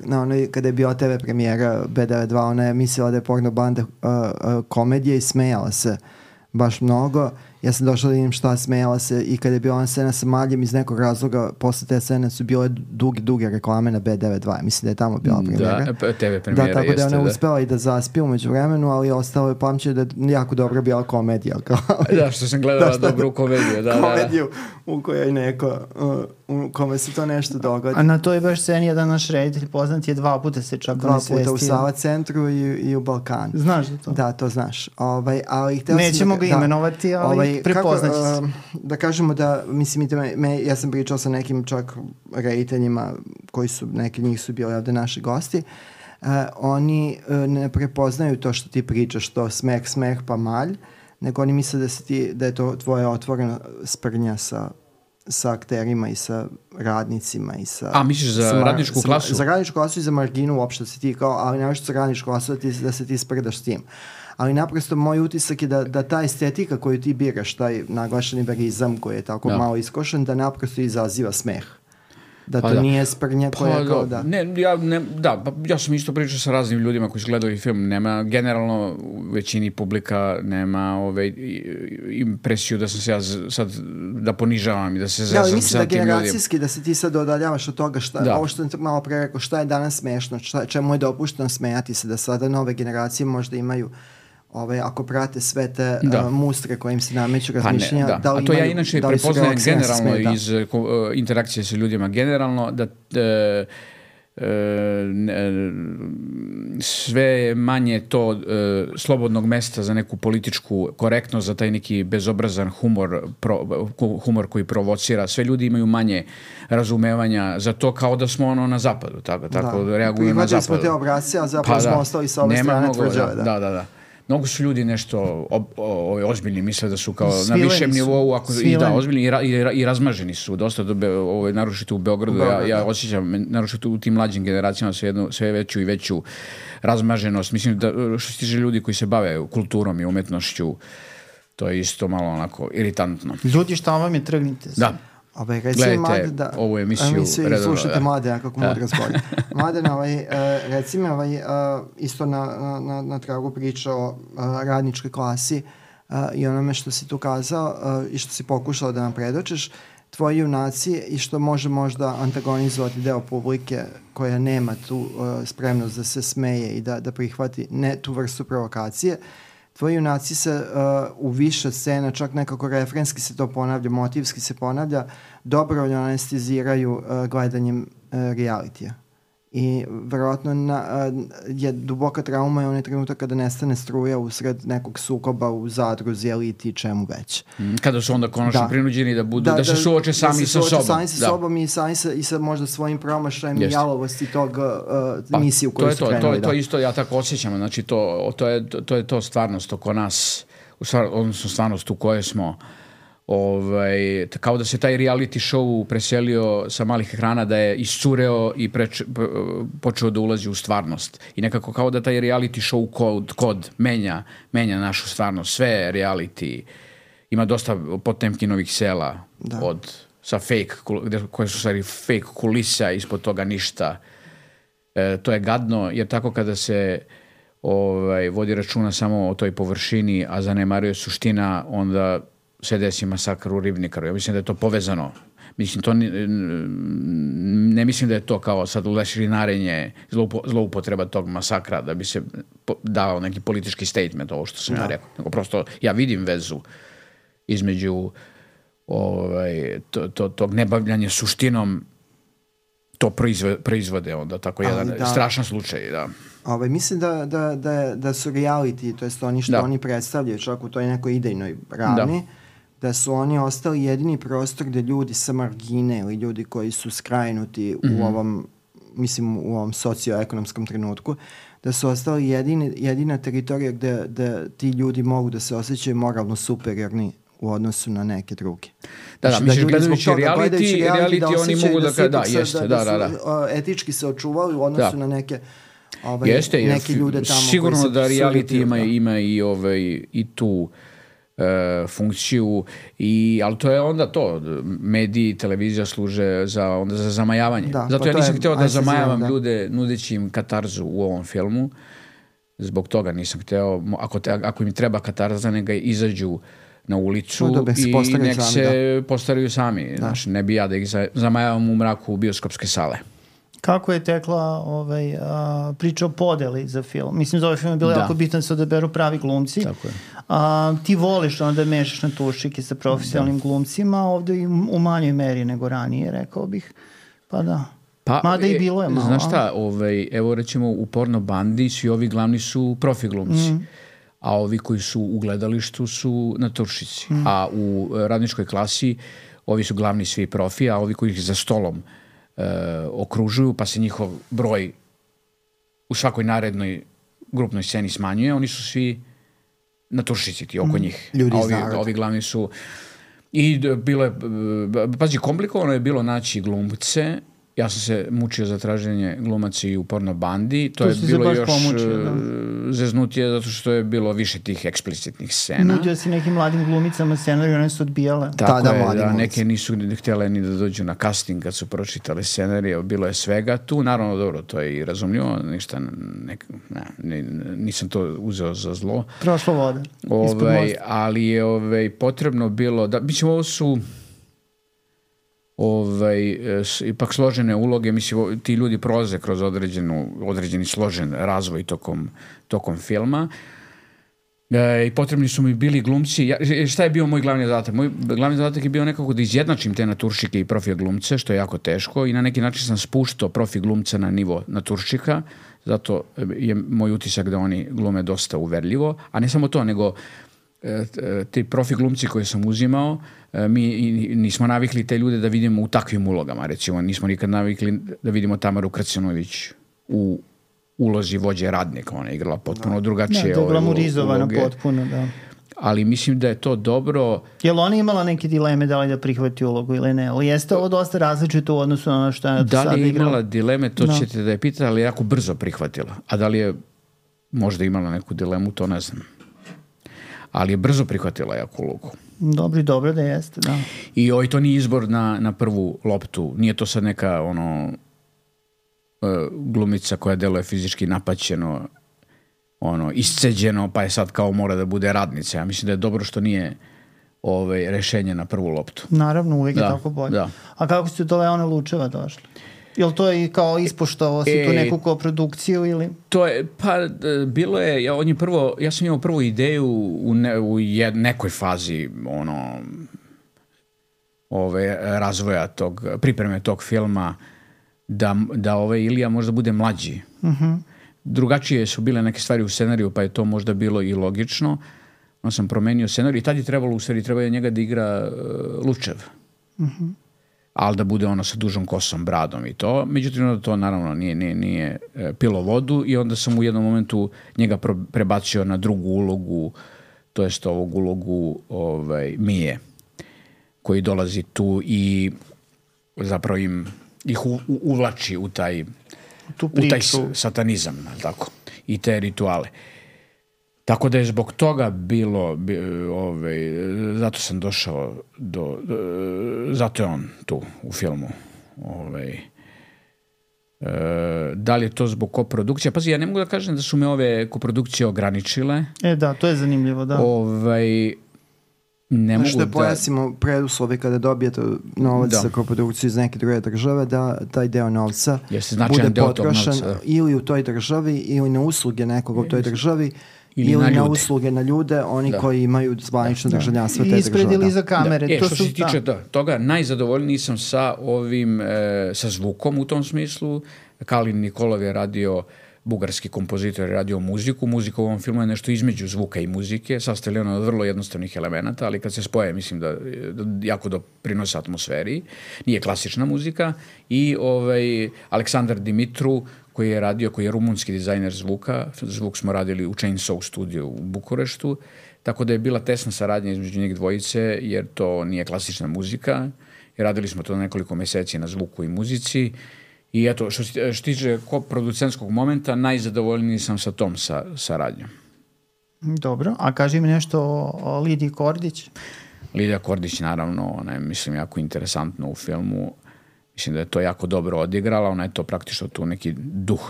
kada je bio TV premijera B92, ona je mislila da je porno banda komedija i smejala se baš mnogo. Ja sam došla da vidim šta, smejala se, i kada je bila ona scena sa maljem, iz nekog razloga posle te scene su bile duge reklame na B92. Mislim da je tamo bila premijera. Da, TV premijera jeste. Tako da ona uspela i da zaspije umeđu vremenu, ali ostalo je pamćenje da je jako dobra bila komedija. Da, što sam gledala dobru komediju. Komediju u kojoj neko, u kome se to nešto dogodi. A na toj baš sceni jedan naš reditelj poznat je 2 puta se čak nesvestio. 2 puta u Sava centru i u Balkanu. Znaš da to? Da, to znaš. Nećemo ga imenovati, ali prepoznaći se. Da kažemo da, mislim, ja sam pričao sa nekim čak rediteljima koji su, neki njih su bili ovde naši gosti, oni ne prepoznaju to što ti pričaš, to smeh pa malj, nego oni misle da je to tvoja otvorena sprnja sa akterima i sa radnicima i sa... A, misliš za radničku klasu? Za radničku klasu i za marginu uopšte se ti kao, ali nešto za radničku klasu da se ti sprdaš s tim. Ali naprosto moj utisak je da ta estetika koju ti biraš, taj naglašeni verizam koji je tako malo iskošen, da naprosto izaziva smeh. Da to nije sprnja koja je kao da... Ja sam isto pričao sa raznim ljudima koji su gledali film. Nema, generalno, u većini publika nema impresiju da sam se ja sad da ponižavam i da se zezam sa tim ljudima. Mislim da generacijski, da se ti sad odaljavaš od toga ovo što sam malo pre rekao, šta je danas smešno, čemu je dopušteno smejati se, da sada nove generacije možda imaju ako prate sve te mustre koje im se nameću razmišljenja, da li a to ja inače prepoznajem generalno iz interakcije sa ljudima, generalno da sve manje to slobodnog mesta za neku političku korektnost, za taj neki bezobrazan humor koji provocira. Sve ljudi imaju manje razumevanja za to, kao da smo na zapadu, tako reaguju na zapadu. Prihvatili smo te obrasce, a zapravo smo ostali sa ove strane tvrđave. Da. Mnogo su ljudi nešto ozbiljni, misle da su kao na višem nivou, ozbiljni i razmaženi su dosta, naročito u Beogradu. Ja osjećam, naročito u tim mlađim generacijama, sve veću i veću razmaženost. Mislim da što se tiče ljudi koji se bave kulturom i umetnošću, to je isto malo onako iritantno. Ljudi, šta vam je, trgnite se. Da. Gledajte ovu emisiju redovno. Slušajte Mladena kako mudra zbolja. Mladen, reci mi isto na tragu priča o radničkoj klasi i onome što si tu kazao i što si pokušao da nam predočeš, tvoji junaci i što može možda antagonizovati deo publike koja nema tu spremnost da se smeje i da prihvati ne tu vrstu provokacije. Tvoji junaci se u više scena, čak nekako refrenski se to ponavlja, motivski se ponavlja, dobrovoljno anesteziraju gledanjem realitija. I verovatno je duboka trauma i onaj trenutak kada nestane struja usred nekog sukoba u zadruzi, eliti, čemu već. Kada su onda konačno prinuđeni da se suoče sami sa sobom. Sami sa sobom i sa možda svojim promašajem i jalovosti tog misiju koju su krenuli. To isto ja tako osjećam. Znači to je to stvarnost oko nas, odnosno stvarnost u kojoj smo. Kao da se taj reality show preselio sa malih ekrana, da je iscureo i počeo da ulazi u stvarnost. I nekako kao da taj reality show kod menja našu stvarnost. Sve reality ima dosta Potemkinovih sela sa fake, koje su stvari fake kulisa, ispod toga ništa. To je gadno, jer tako kada se vodi računa samo o toj površini, a zanemaruje suština, onda se desi masakr u Ribnikaru. Ja mislim da je to povezano. Ne mislim da je to kao sad lešinarenje, zloupotreba tog masakra da bi se dao neki politički statement, ovo što sam ja rekao. Nego prosto ja vidim vezu između tog nebavljanja suštinom to proizvode onda, tako jedan strašan slučaj, da. Mislim da su reality, to jest oni što oni predstavljaju, čak u toj nekoj idejnoj ravni, da su oni ostali jedini prostor gde ljudi sa margine ili ljudi koji su skrajnuti u ovom, mislim u ovom socioekonomskom trenutku, da su ostali jedina teritorija gde ti ljudi mogu da se osjećaju moralno superiorni u odnosu na neke druge. Da, misliš gledajući reality oni mogu da jeste, da. Etički se očuvali u odnosu na neke neki ljude tamo. Sigurno da reality ima i tu funkciju, ali to je onda to, mediji, televizija služe za zamajavanje. Zato ja nisam hteo da zamajavam ljude nudeći im katarzu u ovom filmu. Zbog toga nisam hteo, ako im treba katarza, neka izađu na ulicu i nek se postaraju sami. Znači, ne bi ja da ih zamajavam u mraku bioskopske sale. Kako je tekla priča o podeli za film? Mislim, za ovaj film je bilo jako bitno da se odaberu pravi glumci. Tako je. Ti voliš onda mešaš na tušike sa profesionalnim glumcima, ovde i u manjoj meri nego ranije, rekao bih. Pa da. Mada i bilo je malo. Znaš šta, evo recimo u Porno bandi svi ovi glavni su profi glumci. A ovi koji su u gledalištu su naturšici. A u radničkoj klasi ovi su glavni svi profi, a ovi koji ih za stolom okružuju, pa se njihov broj u svakoj narednoj grupnoj sceni smanjuje, oni su svi naturšici ti oko njih. Ovi glavni su... I bilo je... Pazi, komplikovano je bilo naći glumce. Ja sam se mučio za traženje glumaca i u Porno bandi. To je bilo još zeznutije zato što je bilo više tih eksplicitnih scena. Nudio si nekim mladim glumicama scenariju, one su odbijale. Tako je, neke nisu htjele ni da dođu na casting kad su pročitali scenarije, bilo je svega tu. Naravno, dobro, to je i razumljivo, ništa, nisam to uzeo za zlo. Prošlo vode. Ali je potrebno bilo, mislim, ovo su... ipak složene uloge, mislim, ti ljudi prolaze kroz određeni složen razvoj tokom filma i potrebni su mi bili glumci. Šta je bio moj glavni zadatak? Moj glavni zadatak je bio nekako da izjednačim te naturšike i profi glumce, što je jako teško, i na neki način sam spuštao profi glumca na nivo naturšika, zato je moj utisak da oni glume dosta uverljivo, a ne samo to, nego ti profi glumci koje sam uzimao, mi nismo navikli te ljude da vidimo u takvim ulogama, recimo nismo nikad navikli da vidimo Tamaru Kracenović u ulozi vođe radnika, ona je igrala potpuno drugačije uloge. Glamorizovana potpuno, da. Ali mislim da je to dobro. Je li ona imala neke dileme da li da prihvati ulogu ili ne? Ali jeste ovo dosta različito u odnosu na ono što je sada igrala? Da li je imala dileme, to ćete da je pitali, ali je jako brzo prihvatila. A da li je možda imala neku dilemu, to ne znam. Ali je brzo prihvatila jako ulogu. Dobro da jeste, da. I to nije izbor na prvu loptu. Nije to sad neka glumica koja deluje fizički napaćeno, isceđeno, pa je sad kao mora da bude radnica. Ja mislim da je dobro što nije rešenje na prvu loptu. Naravno, uvijek je tako bolje. Da. A kako ste do Leone Lučeva došli? Jel to je kao ispoštovao si tu neku koprodukciju ili? To je, bilo je, ja sam imao prvu ideju u nekoj fazi razvoja pripreme tog filma da Ilija možda bude mlađi. Drugačije su bile neke stvari u scenariju, pa je to možda bilo i logično. Onda sam promenio scenarij i tad je trebalo je njega da igra Lučev. Ali da bude sa dužom kosom, bradom i to. Međutim, to naravno nije pilo vodu i onda sam u jednom momentu njega prebacio na drugu ulogu, to jest ovog ulogu Mije, koji dolazi tu i zapravo ih uvlači u taj satanizam, tako, i te rituale. Tako da je zbog toga bilo, zato sam došao zato je on tu u filmu. Da li je to zbog koprodukcija? Pazi, ja ne mogu da kažem da su me ove koprodukcije ograničile. Da, to je zanimljivo, da. Ne mogu da pojasnimo preduslove kada dobijete novac za koprodukciju iz neke druge države, da taj deo novca bude potrošen ili u toj državi ili na usluge nekoga u toj državi, ili na usluge na ljude, oni koji imaju zvanično državljanstvo te države. Ispred ili iza kamere. Što se tiče toga, najzadovoljniji sam sa ovim, sa zvukom u tom smislu. Kalin Nikolov je radio, bugarski kompozitor je radio muziku. Muzika u ovom filmu je nešto između zvuka i muzike, sastavljeno od vrlo jednostavnih elemenata, ali kad se spoje, mislim da jako doprinose atmosferi. Nije klasična muzika. I Aleksandar Dimitru, koji je rumunski dizajner zvuka. Zvuk smo radili u Chainsaw studiju u Bukureštu, tako da je bila tesna saradnja između njih dvojice, jer to nije klasična muzika. I radili smo to nekoliko meseci na zvuku i muzici. I eto, što se tiče producentskog momenta, najzadovoljniji sam sa tom saradnjom. Dobro, a kaži mi nešto o Lidiji Kordić. Lidija Kordić, naravno, ona je, mislim, jako interesantna u filmu. Mislim da je to jako dobro odigrala, ona je to praktično tu neki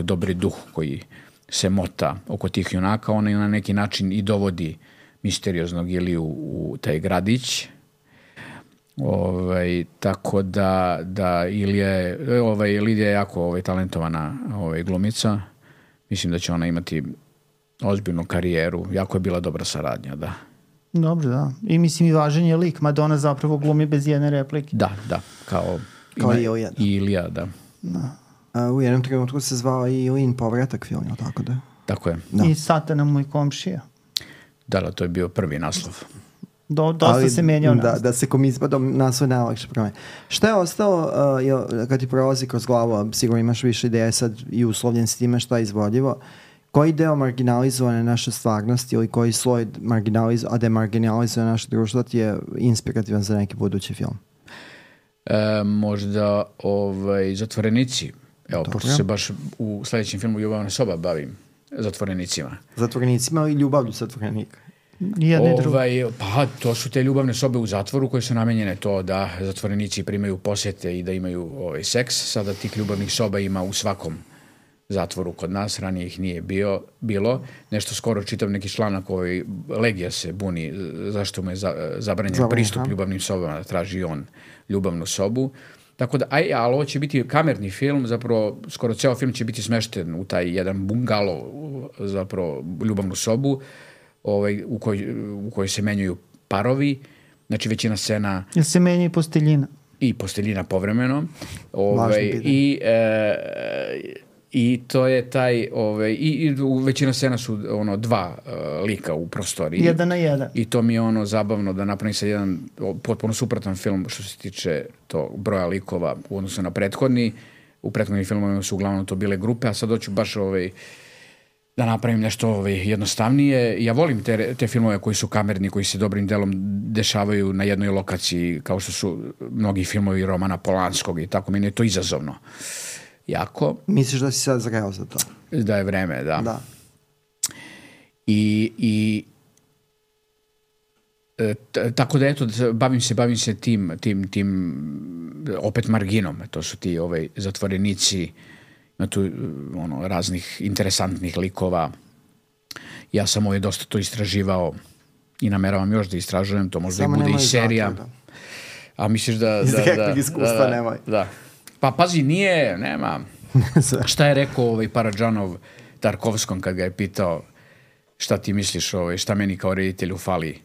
dobri duh koji se mota oko tih junaka, ona je na neki način i dovodi misterioznog Iliju u taj gradić. Tako da Lidija je jako talentovana glumica. Mislim da će ona imati ozbiljnu karijeru. Jako je bila dobra saradnja, da. Dobro, da. I mislim i važan je lik. Madonna zapravo glumi bez jedne replike. Da, kao Ilija. Ilija, da. U jednom trenutku se zvao i Ilin povratak film, tako da? Tako je. Da. I Satana moj komšija. Da, to je bio prvi naslov. Dosta se menjao naslov. Da se komizbadom naslov najlakše promeni. Šta je ostalo, kad ti prolazi kroz glavu, sigurno imaš više ideje sad i uslovljen s time šta je izvodljivo, koji deo marginalizovane naše stvarnosti ili koji sloj demarginalizuje naše društvo ti je inspirativan za neki budući film? Možda zatvorenici. Evo, pošto se baš u sljedećem filmu Ljubavna soba bavim zatvorenicima. Zatvorenicima ili ljubavlju zatvorenika? Pa to su te ljubavne sobe u zatvoru koje su namenjene to da zatvorenici primaju posjete i da imaju seks. Sada tih ljubavnih soba ima u svakom zatvoru kod nas, ranije ih nije bilo. Nešto skoro čitam neki članak, Legija se buni zašto mu je zabranjen pristup ljubavnim sobama, da traži on ljubavnu sobu. Tako da, ali ovo će biti kamerni film, zapravo skoro ceo film će biti smešten u taj jedan bungalo, zapravo ljubavnu sobu, u kojoj se menjaju parovi, znači većina scena... Jel se menja i posteljina? I posteljina povremeno. I to je taj... I većina scena su dva lika u prostoriji. 1 na 1. I to mi je zabavno da napravim sad jedan potpuno suprotan film što se tiče tog broja likova u odnosu na prethodni. U prethodnim filmovima su uglavnom to bile grupe, a sad hoću baš da napravim nešto jednostavnije. Ja volim te filmove koji su kamerni, koji se dobrim delom dešavaju na jednoj lokaciji, kao što su mnogi filmovi Romana Polanskog i tako. Meni je to izazovno. Jako. Misliš da si sad zreo za to? Da je vreme, da. Tako da eto, bavim se tim opet marginom. To su ti zatvorenici, ima tu raznih interesantnih likova. Ja sam dosta to istraživao i nameravam još da istražujem, to možda i bude i serija. A misliš da... Iz direktnog iskustva nemoj. Da. Pa pazi, nema. Šta je rekao Paradžanov Tarkovskom kad ga je pitao šta ti misliš, šta meni kao reditelju fali?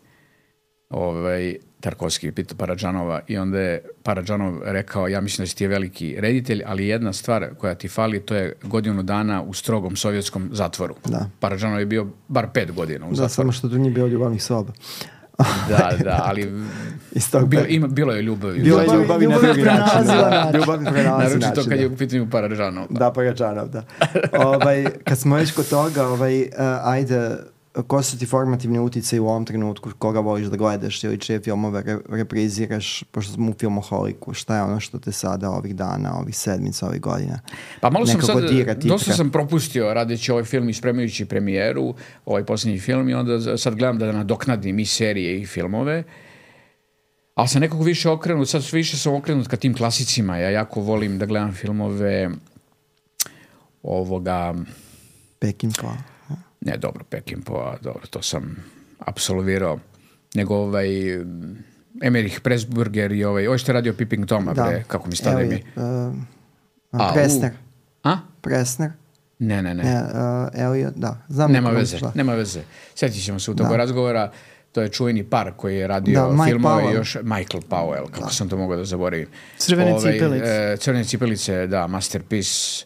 Tarkovski je pitao Paradžanova i onda je Paradžanov rekao, ja mislim da si ti je veliki reditelj, ali jedna stvar koja ti fali, to je godinu dana u strogom sovjetskom zatvoru. Da. Paradžanov je bio bar 5 godina u zatvoru. Da, samo što tu nije bilo ljubavnih soba. Da, ali bilo je ljubavi. Bilo je ljubavi na drugi način. Ljubav prenalazi način. Naročito kad je u pitanju Paradžanov. Da, Paradžanov, da. Kad smo već kod toga, ajde, ko su ti formativni uticaji u ovom trenutku, koga voliš da gledaš ili čije filmove repriziraš, pošto smo u filmoholiku, šta je ono što te sada ovih dana, ovih sedmica, ovih godina? Pa malo sam sad, dosta sam propustio radeći ovaj film i spremajući premijeru, ovaj posljednji film, i onda sad gledam da nadoknadim i serije i filmove, ali sam nekako više okrenut, sad više sam okrenut ka tim klasicima. Ja jako volim da gledam filmove Peckinpah. Ne, dobro, Peckinpah, dobro, to sam apsolvirao. Nego Emmerich Pressburger i ovo što je radio Peeping Toma, kako mi stane mi. Pressner. A? Pressner. Ne. Elliot, da. Znam Nema veze. Sjetit ćemo se u toga razgovora. To je čuveni par koji je radio filmove još Michael Powell, kako sam to mogao da zaboravim. Crvene cipelice, da, Masterpiece.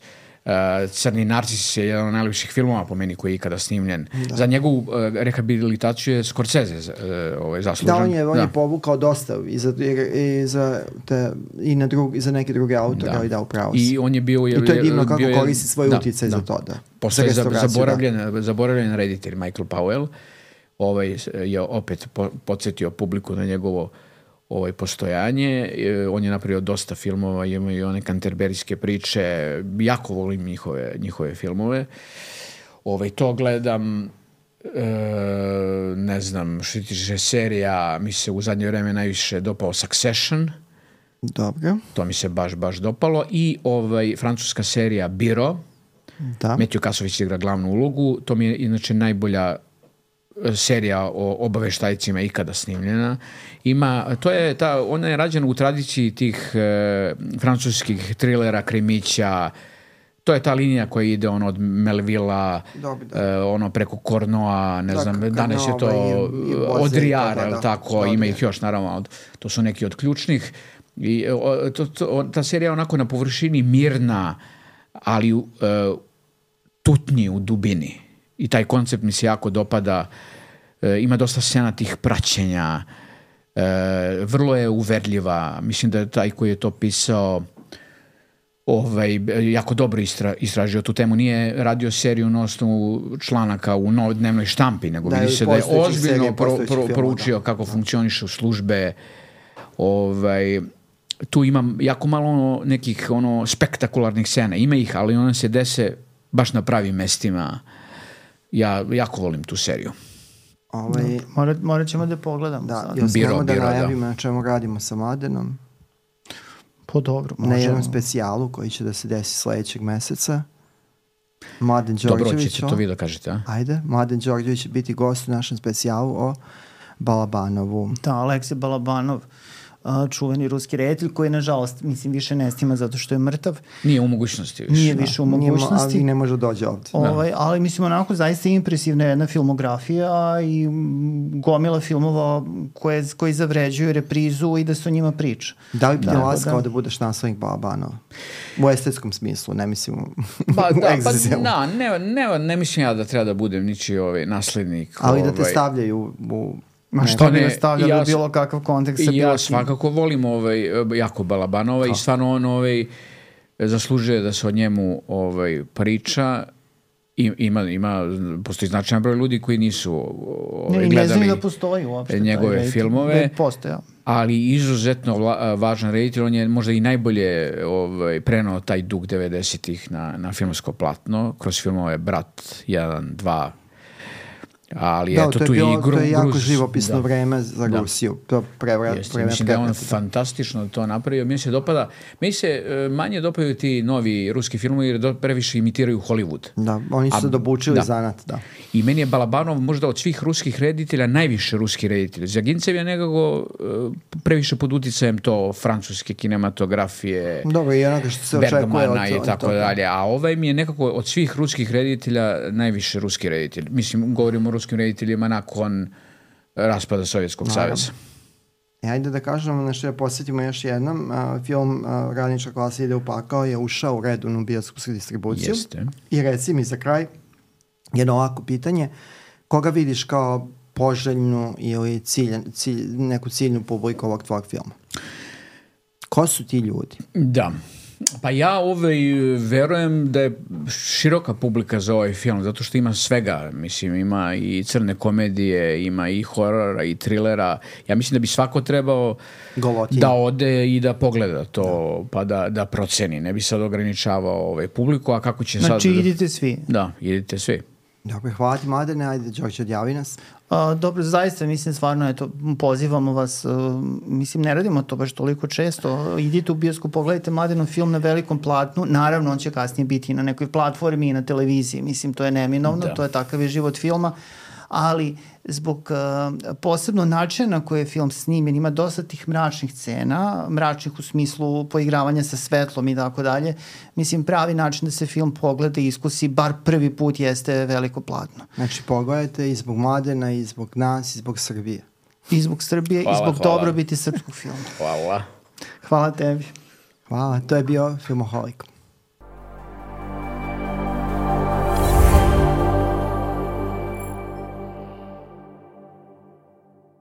Crni narcis je jedan od najljepših filmova po meni koji je ikada snimljen. Za njegovu rehabilitaciju je Scorsese zaslužen. Da, on je povukao dosta i za neke druge autore, ali da, upravo si. I on je bio... I to je divno kako koristi svoj utjecaj za to, da. Posle je zaboravljen reditelj Michael Powell, je opet podsjetio publiku na njegovo postojanje. On je napravio dosta filmova, ima i one kanterberijske priče, jako volim njihove filmove. To gledam, ne znam, što tiče serija, mi se u zadnje vreme najviše dopao Succession. Dobro. To mi se baš dopalo. I francuska serija Biro. Da. Matthew Kasović igra glavnu ulogu. To mi je inače najbolja serija o obaveštajcima ikada snimljena. Ona je rađena u tradiciji tih francuskih trilera, krimića. To je ta linija koja ide od Melvilla, preko Cornoa, ne znam, danas je to Audrillard, tako, ima ih još, naravno, to su neki od ključnih. I ta serija je onako na površini mirna, ali tutnji u dubini. I taj koncept mi se jako dopada. Ima dosta scena tih praćenja. Vrlo je uverljiva. Mislim da je taj koji je to pisao jako dobro istražio tu temu. Nije radio seriju na osnovu članaka u dnevnoj štampi, nego vidi se da je ozbiljno proučio kako funkcionišu službe. Tu ima jako malo nekih spektakularnih scena. Ima ih, ali one se dese baš na pravim mestima. Ja jako volim tu seriju. Morat ćemo da pogledamo. Da, još smemo da najavimo na čemu radimo sa Mladenom. Dobro, možemo. Na jednom specijalu koji će da se desi sledećeg meseca. Mladen Đorđević. Dobro, ćete to vi da kažete, a? Ajde, Mladen Đorđević će biti gost u našem specijalu o Balabanovu. Da, Aleksej Balabanov, čuveni ruski reditelj koji nažalost više ne snima zato što je mrtav. Nije u mogućnosti više. Nije više u mogućnosti. Ali ne može dođe ovdje. Ali mislim onako zaista impresivna jedna filmografija i gomila filmova koji zavređuju reprizu i da se o njima priča. Da li bi te laskao da budeš naslednik Balabanova? U estetskom smislu, ne mislim ne mislim ja da treba da budem ničiji naslednik. Ali da te stavljaju u... što bi nastavljali bilo kakav kontekst sa bilo ja svakako volim jako Balabanova i stvarno on zaslužuje da se o njemu priča. Postoji značajan broj ljudi koji nisu gledali da postoji uopšte njegove filmove, ali izuzetno važan reditelj. On je možda i najbolje prenao taj duh 90-ih na filmsko platno kroz filmove Brat 1, 2. Ali to je jako živopisno vreme za Rusiju. Mislim da je on fantastično to napravio. Meni se manje dopadaju ti novi ruski filmovi jer previše imitiraju Hollywood. Da, oni su dobučili zanat, da. I meni je Balabanov možda od svih ruskih reditelja najviše ruski reditelj. Zagintsev je nekako previše pod uticajem to francuske kinematografije, dobro, i onoga što se Bergmana i tako dalje. A mi je nekako od svih ruskih reditelja najviše ruski reditelj. Mislim, govorimo o ruskim rediteljima nakon raspada Sovjetskog saveza. Ajde da kažemo nešto, da posjetimo još jednom. Film Radnička klasa ide u pakao je ušao u redovnu bioskopsku distribuciju. Jeste. I reci mi za kraj jedno ovako pitanje. Koga vidiš kao poželjnu ili neku ciljnu publiku ovog tvojeg filma? Ko su ti ljudi? Da. Pa ja verujem da je široka publika za ovaj film, zato što ima svega, mislim, ima i crne komedije, ima i horora i trilera. Ja mislim da bi svako trebao da ode i da pogleda to, pa da proceni. Ne bi sad ograničavao publiku, a kako će sad... Znači idite svi. Da, idite svi. Dobro, hvala ti Mladene, ajde Đorđe, odjavi nas. Dobro, zaista, mislim, stvarno, pozivamo vas, mislim, ne radimo to baš toliko često, idite u bioskop, pogledajte Mladenov film na velikom platnu, naravno on će kasnije biti na nekoj platformi i na televiziji, mislim, to je neminovno, to je takav je život filma, ali zbog posebno načina na koji je film snimljen, ima dosta tih mračnih scena, mračnih u smislu poigravanja sa svetlom i tako dalje. Mislim, pravi način da se film pogleda i iskusi, bar prvi put, jeste veliko platno. Znači, pogledajte i zbog Mladena, i zbog nas, i zbog Srbije. I zbog Srbije, i zbog dobrobiti srpskog filma. Hvala. Hvala tebi. Hvala, to je bio Filmoholik.